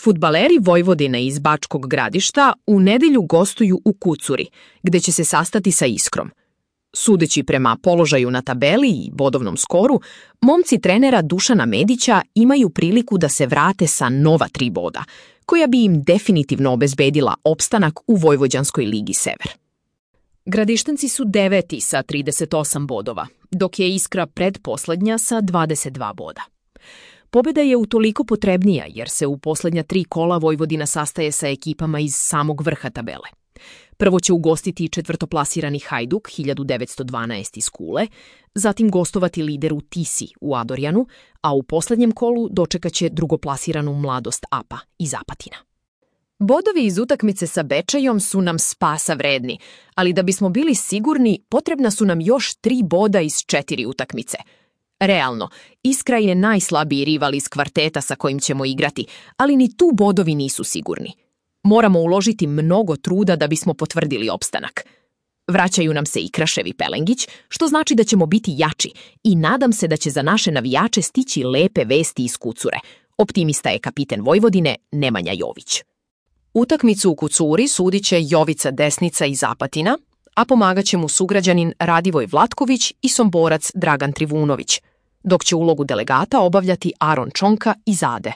Fudbaleri Vojvodine iz Bačkog Gradišta u nedelju gostuju u Kucuri, gde će se sastati sa Iskrom. Sudeći prema položaju na tabeli i bodovnom skoru, momci trenera Dušana Medića imaju priliku da se vrate sa nova 3 boda, koja bi im definitivno obezbedila opstanak u Vojvođanskoj ligi Sever. Gradištanci su 9. sa 38 bodova, dok je Iskra predposlednja sa 22 boda. Pobeda je utoliko potrebnija jer se u poslednja 3 kola Vojvodina sastaje sa ekipama iz samog vrha tabele. Prvo će ugostiti četvrtoplasirani Hajduk 1912 iz Kule, zatim gostovati lideru Tisi u Adorjanu, a u poslednjem kolu dočekaće drugoplasiranu Mladost APA iz Apatina. Bodovi iz utakmice sa Bečejom su nam spasa vredni, ali da bismo bili sigurni, potrebna su nam još 3 boda iz 4 utakmice. Realno, Iskra je najslabiji rival iz kvarteta sa kojim ćemo igrati, ali ni tu bodovi nisu sigurni. Moramo uložiti mnogo truda da bismo potvrdili opstanak. Vraćaju nam se i Krašev i Pelengić, što znači da ćemo biti jači i nadam se da će za naše navijače stići lepe vesti iz Kucure. Optimista je kapiten Vojvodine Nemanja Jović. Utakmicu u Kucuri sudit će Jovica Desnica iz Apatina, a pomagaće mu sugrađanin Radivoj Vlatković i Somborac Dragan Trivunović, dok će ulogu delegata obavljati Aron Čonka iz Ade.